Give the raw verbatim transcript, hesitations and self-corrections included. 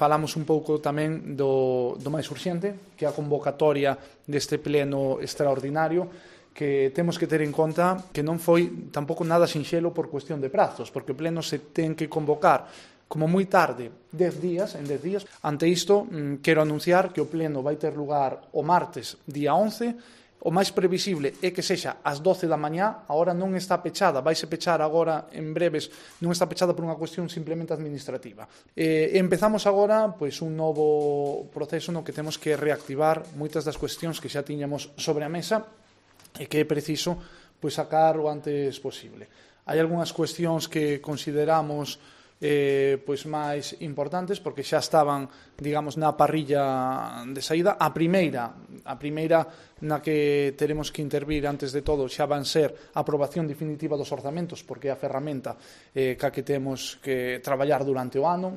falamos un pouco tamén do, do máis urxente, que é a convocatoria deste pleno extraordinario, que temos que ter en conta que non foi tampouco nada sinxelo por cuestión de prazos, porque o pleno se ten que convocar como moi tarde, dez días, en dez días. Ante isto, quero anunciar que o pleno vai ter lugar o martes, día once. O máis previsible é que sexa ás doce da mañá. A hora non está pechada, vaise pechar agora en breves, non está pechada por unha cuestión simplemente administrativa. E empezamos agora pois, un novo proceso no que temos que reactivar moitas das cuestións que xa tiñamos sobre a mesa e que é preciso pois, sacar o antes posible. Hai algunhas cuestións que consideramos Eh, pois máis importantes porque xa estaban, digamos, na parrilla de saída. A primeira, a primeira na que teremos que intervir antes de todo xa van ser a aprobación definitiva dos orzamentos, porque é a ferramenta eh, ca que temos que traballar durante o ano.